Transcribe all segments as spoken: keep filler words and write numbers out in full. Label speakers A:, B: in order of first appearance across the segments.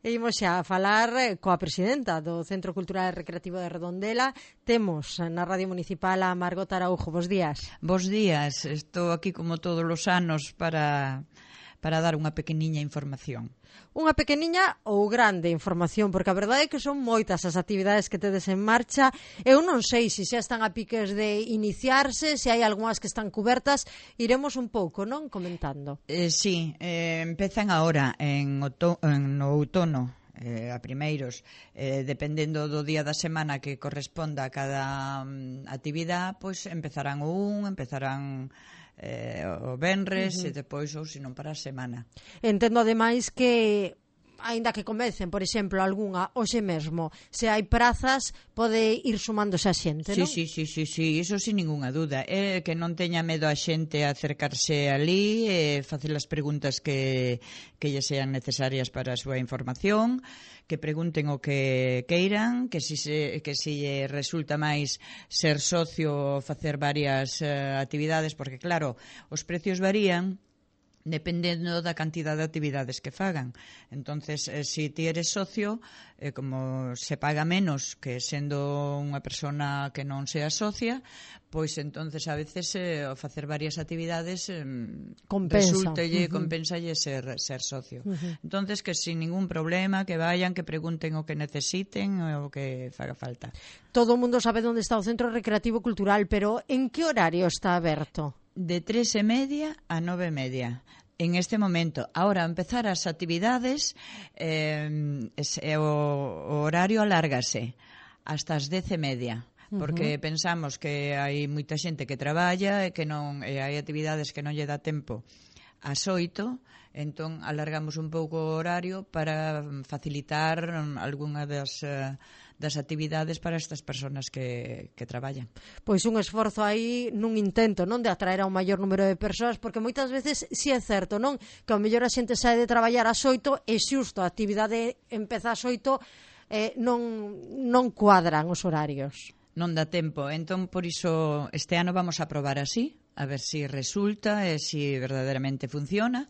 A: E imos xa a falar coa presidenta do Centro Cultural e Recreativo de Redondela. Temos na Radio Municipal a Margot Araujo. Bos días.
B: Bos días. Estou aquí como todos os anos para, para dar unha pequeniña información.
A: Unha pequeniña ou grande información, porque a verdade é que son moitas as actividades que tedes en marcha. Eu non sei se xa están a piques de iniciarse, se hai algunhas que están cubertas. Iremos un pouco, non, comentando.
B: Eh, sí, eh, empezan agora en, outo, en no outono, eh, a primeiros, eh, dependendo do día da semana que corresponda a cada um, actividade, pois empezarán o un, empezarán eh, o venres, uh-huh. e depois ou senón para a semana.
A: Entendo ademais que aínda que comecen, por exemplo, algunha hoxe mesmo, se hai prazas, pode ir sumándose a xente,
B: sí,
A: non?
B: Sí, sí, sí, sí, iso sin ningunha dúda. É que non teña medo a xente a acercarse ali e facer as preguntas que, que lle sean necesarias para a súa información, que pregunten o que queiran, que si, se, que si resulta máis ser socio ou facer varias uh, actividades, porque claro, os precios varían dependendo da cantidade de actividades que fagan. Entonces, eh, si ti eres socio, eh, como se paga menos que sendo unha persona que non sea socia, pois entonces a veces eh, facer varias actividades eh, resultalle, uh-huh. compensalle ser, ser socio. Uh-huh. Entonces, que sin ningún problema, que vayan, que pregunten o que necesiten o que faga falta.
A: Todo o mundo sabe onde está o Centro Recreativo Cultural, pero en que horario está aberto?
B: De tres e media a nove e media. En este momento, ahora empezar as actividades, eh, es, eh, o, o horario alárgase hasta as dez e media, porque uh-huh. pensamos que hai moita xente que traballa e que non e hai actividades que non lle dá tempo ás oito, entón alargamos un pouco o horario para facilitar algunha das uh, das actividades para estas persoas que, que traballan.
A: Pois un esforzo aí nun intento, non, de atraer a un maior número de persoas, porque moitas veces si é certo, non, que ao mellor a xente sae de traballar ás oito e xusto a actividade empeza ás oito, eh, non, non cuadran os horarios.
B: Non dá tempo, entón por iso este ano vamos a probar así, a ver se si resulta e se si verdadeiramente funciona.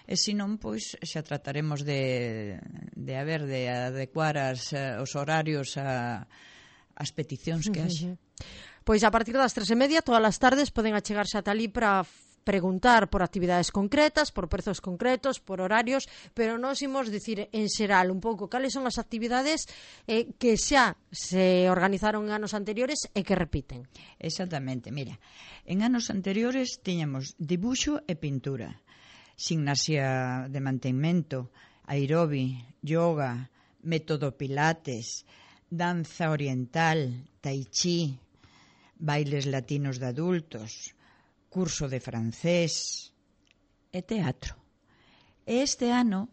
B: E se non, pois xa trataremos de, de haber de adecuar as, os horarios a, as peticións que haxe.
A: Pois a partir das tres e media, todas as tardes, poden achegarse ata ali para preguntar por actividades concretas, por prezos concretos, por horarios, pero nós imos dicir en xeral un pouco cales son as actividades eh, que xa se organizaron en anos anteriores e que repiten.
B: Exactamente, mira, en anos anteriores tiñamos dibuixo e pintura, gimnasia de mantemento, aerobi, yoga, método pilates, danza oriental, tai chi, bailes latinos de adultos, curso de francés e teatro. E este ano,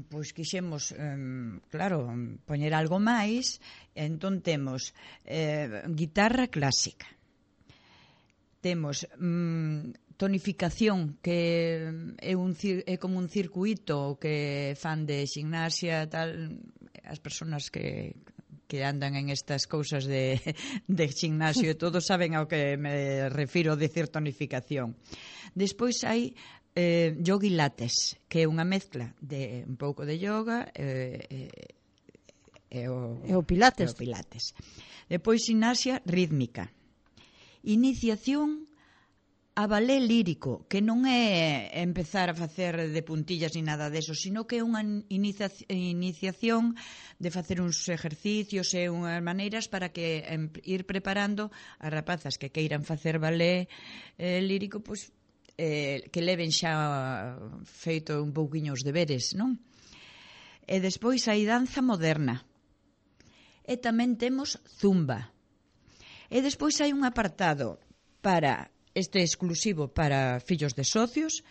B: pois quixemos, eh, claro, poñer algo máis, entón temos eh, guitarra clásica, temos mm, tonificación, que é, un, é como un circuito que fan de gimnasia, tal, as persoas que, que andan en estas cousas de, de gimnasio e todos saben ao que me refiro a decir tonificación. Despois hai eh, yoga e lates, que é unha mezcla de un pouco de yoga e, e, e, o,
A: e o pilates.
B: E o pilates. Depois gimnasia rítmica. Iniciación a balé lírico, que non é empezar a facer de puntillas ni nada deso, sino que é unha inicia iniciación de facer uns exercicios e unhas maneiras para que em, ir preparando as rapazas que queiran facer balé eh, lírico, pois, eh, que leven xa feito un pouquiño os deberes, non? E despois hai danza moderna. E tamén temos zumba. E despois hai un apartado para este exclusivo para fillos de socios,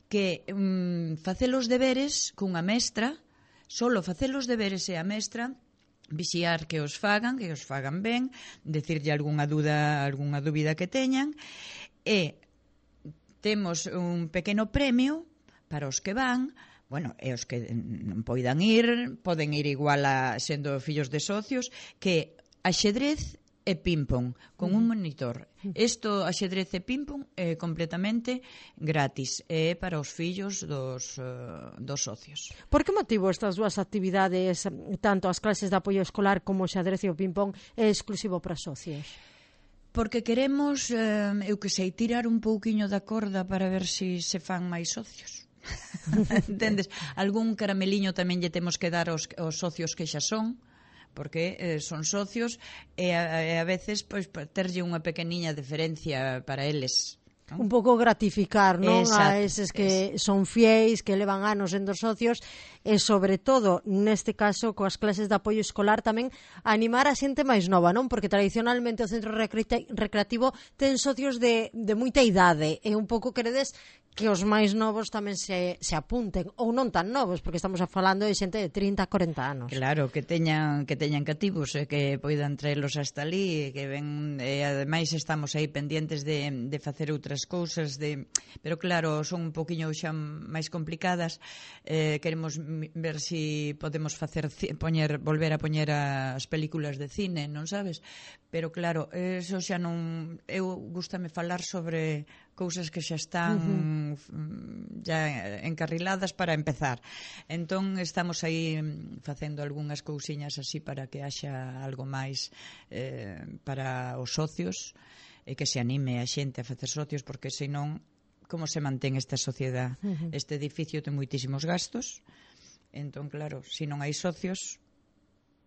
B: que um, facer os deberes cunha mestra, solo facer os deberes e a mestra vixiar que os fagan, que os fagan ben, decirlle algunha dúda, algunha dúbida que teñan, e temos un pequeno premio para os que van. Bueno, e os que non poidan ir, poden ir igual a sendo fillos de socios, que axedrez e ping-pong, con un monitor. Isto, axedrez e ping-pong, é completamente gratis, e é para os fillos dos, uh, dos socios.
A: Por que motivo estas dúas actividades, tanto as clases de apoio escolar como o xadrez e o ping-pong, é exclusivo para socios?
B: Porque queremos, eh, eu que sei, tirar un pouquiño da corda para ver se si se fan máis socios. Entendes? Algún carameliño tamén lle temos que dar aos, aos socios que xa son, porque eh, son socios e a, e a veces pois, terlle unha pequeniña diferencia para eles, non?
A: Un pouco gratificar, non?
B: Exacto,
A: a eses que es. son fiéis, que levan anos sendo socios, e sobre todo, neste caso, coas clases de apoio escolar tamén animar a xente máis nova, non? Porque tradicionalmente o centro recreativo ten socios de, de moita idade, e un pouco queredes que os máis novos tamén se, se apunten, ou non tan novos, porque estamos falando de xente de trinta a corenta anos.
B: Claro, que teñan que teñan cativos e que poidan traelos hasta ali, e que ven, e ademais estamos aí pendientes de, de facer outras cousas, de, pero claro, son un poquinho xa máis complicadas. Eh, queremos ver si podemos facer poñer, volver a poñer as películas de cine, non sabes? Pero claro, eso xa non, eu gústame falar sobre cousas que xa están uh-huh. ya encarriladas para empezar. Entón estamos aí facendo algunhas cousiñas así para que haxa algo máis eh, para os socios, e que se anime a xente a facer socios, porque senón como se mantén esta sociedade? Uh-huh. Este edificio ten moitísimos gastos, entón claro, se non hai socios,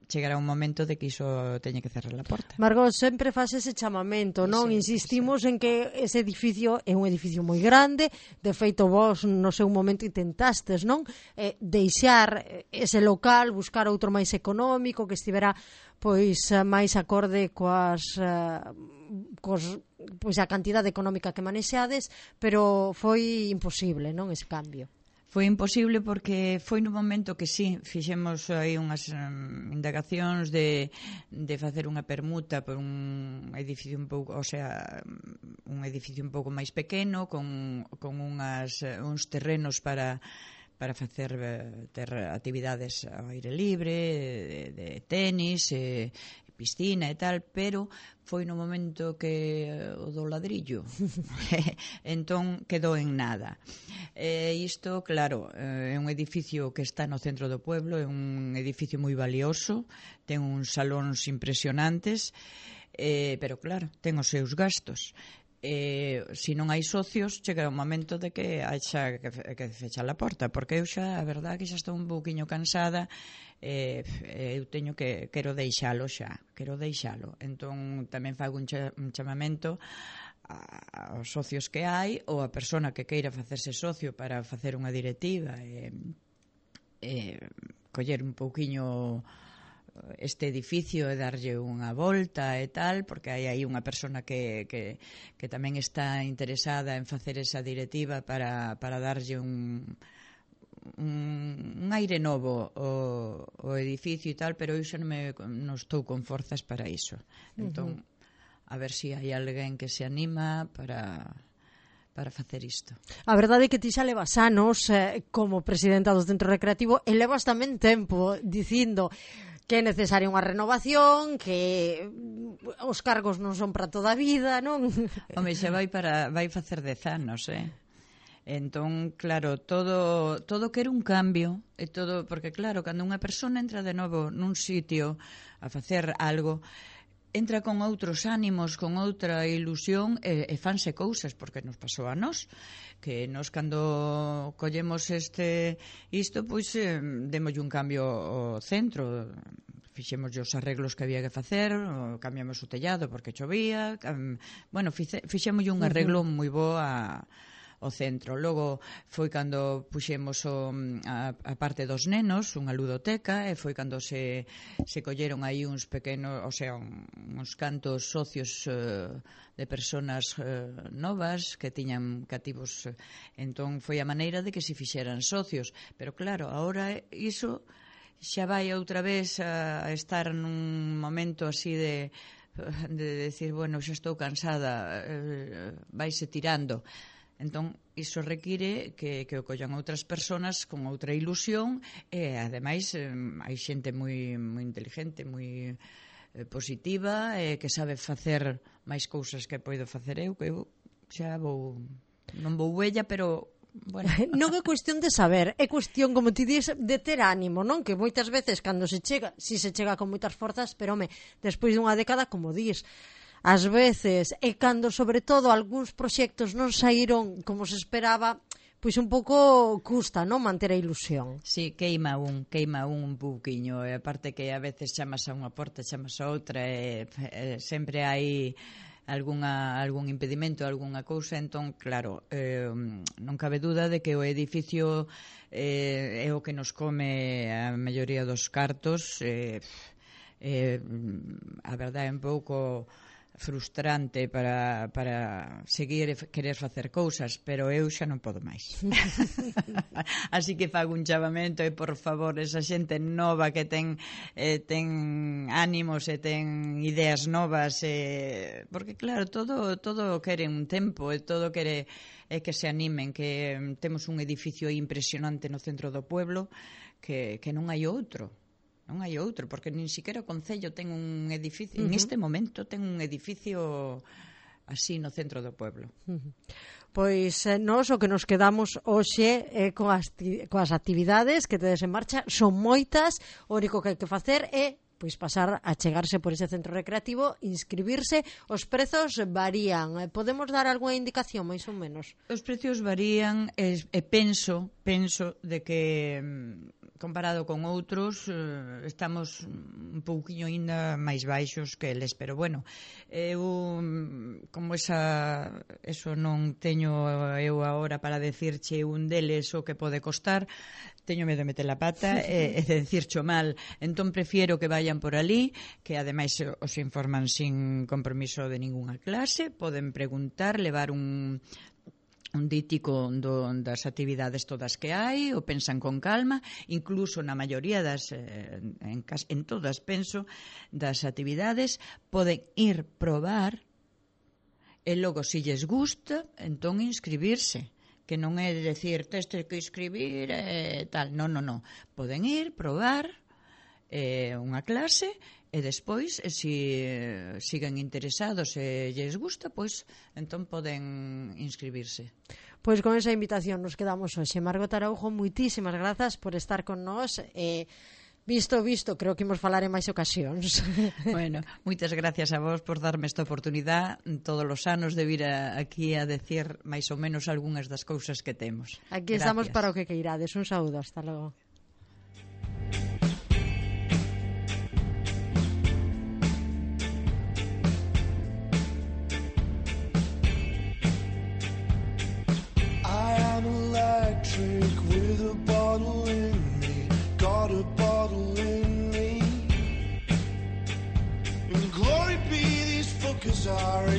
B: chegará un momento de que iso teña que cerrar a porta.
A: Margot, sempre faz ese chamamento, non? Sí, insistimos sí. en que ese edificio é un edificio moi grande, de feito vos no seu momento intentastes, non? Eh, deixar ese local, buscar outro máis económico, que estivera pois máis acorde coas uh, cos, pois a cantidade económica que manexades, pero foi imposible, non, ese cambio.
B: Foi imposible porque foi no momento que sí, fixemos aí unhas um, indagacións de, de facer unha permuta por un edificio un pouco, o sea, un edificio un pouco máis pequeno, con, con unhas, uns terrenos para para facer ter actividades ao aire libre, de, de tenis, e, piscina e tal, pero foi no momento que o do ladrillo entón quedou en nada. E isto, claro, é un edificio que está no centro do pueblo, é un edificio moi valioso, ten uns salóns impresionantes, eh, pero claro, ten os seus gastos. Eh, se non hai socios, chegará un momento de que haxa que, que fecha a porta, porque eu xa, a verdade, que xa estou un pouquiño cansada. Eh, eu teño que quero deixalo xa, quero deixalo. Entón tamén fago un, cha, un chamamento a, aos socios que hai, ou a persona que queira facerse socio para facer unha directiva e eh, eh, coller un pouquiño este edificio e darlle unha volta e tal, porque hai aí unha persona que, que, que tamén está interesada en facer esa directiva para, para darlle un un, un aire novo o, o edificio e tal, pero eu xa non, me, non estou con forzas para iso. Entón, uh-huh. a ver se si hai alguén que se anima para para facer isto.
A: A verdade é que ti xa levas anos eh, como presidenta do Centro Recreativo, e levas tamén tempo dicindo que é necesaria unha renovación, que os cargos non son para toda a vida, non?
B: Home, xa vai para vai facer dez anos, eh? Entón, claro, todo todo quere un cambio, e todo, porque claro, cando unha persona entra de novo nun sitio a facer algo, entra con outros ánimos, con outra ilusión, e, e fanse cousas, porque nos pasou a nós, que nós cando collemos este isto, pois eh, démoslle un cambio ao centro, fixemos os arreglos que había que facer, cambiamos o tellado porque chovía, um, bueno, fixe, fixemoslle un arreglo moi bo a o centro. Logo foi cando puxemos o, a, a parte dos nenos, unha ludoteca, e foi cando se, se colleron aí uns pequenos, o sea, un, uns cantos socios uh, de personas uh, novas que tiñan cativos. Entón foi a maneira de que se fixeran socios. Pero claro, agora iso xa vai outra vez a, a estar nun momento así de, de decir, bueno, xa estou cansada, eh, vaise tirando. Entón, iso require que, que o collan outras persoas con outra ilusión, e, ademais, eh, hai xente moi, moi inteligente, moi eh, positiva, e eh, que sabe facer máis cousas que poido facer eu, que eu xa vou, non vou vella, pero bueno.
A: Non é cuestión de saber, é cuestión, como ti dis, de ter ánimo, non? Que moitas veces cando se chega, si se chega con moitas forzas, pero home, despois dunha década, como dis, ás veces, e cando sobre todo algúns proxectos non saíron como se esperaba, pois un pouco custa, non, manter a ilusión.
B: Sí, queima un, queima un un pouquiño, e aparte que a veces chamas a unha porta, chamas a outra, e, e sempre hai algunha, algún impedimento, algunha cousa, entón, claro, eh, non cabe duda de que o edificio eh, é o que nos come a maioría dos cartos, eh, eh, a verdade é un pouco frustrante para, para seguir e querer facer cousas, pero eu xa non podo máis. Así que fago un chamamento e, por favor, esa xente nova que ten eh, ten ánimos e ten ideas novas, eh, porque claro, todo todo quere un tempo e todo quere é que se animen, que um, temos un edificio impresionante no centro do pueblo que, que non hai outro. Non hai outro, porque nin siquiera o Concello ten un edificio, uh -huh. en este momento ten un edificio así no centro do pueblo.
A: Uh -huh. Pois eh, nós o que nos quedamos hoxe é eh, coas, coas actividades que tedes en marcha, son moitas, o único que hai que facer é pois pasar a chegarse por ese centro recreativo, inscribirse, os prezos varían. Podemos dar algunha indicación, máis ou menos?
B: Os prezos varían e, e penso, penso de que comparado con outros eh, estamos un pouquiño ainda máis baixos que eles, pero bueno, eu como esa eso non teño eu agora para decirche un deles o que pode costar, teño medo de meter a pata e, e de decircho mal, entón prefiero que vayan por ali, que ademais os informan sin compromiso de ningunha clase, poden preguntar, levar un un dítico do, das actividades todas que hai, o pensan con calma, incluso na maioría das eh, en, en todas, penso, das actividades poden ir probar e logo, se lles gusta, entón inscribirse, que non é decir, tes que inscribir e tal, non, non, non, poden ir, probar eh, unha clase e despois, se si, siguen interesados e lles gusta, pois entón poden inscribirse.
A: Pois con esa invitación nos quedamos hoxe. Margot Araujo, moitísimas grazas por estar con nós e visto, visto, creo que imos falar en máis ocasións.
B: Bueno, moitas gracias a vos por darme esta oportunidade todos os anos de vir a, aquí a decir máis ou menos algunhas das cousas que temos.
A: Aquí gracias. Estamos para o que queirades. Un saúdo, hasta logo.
C: With a bottle in me, got a bottle in me. And glory be, these fuckers are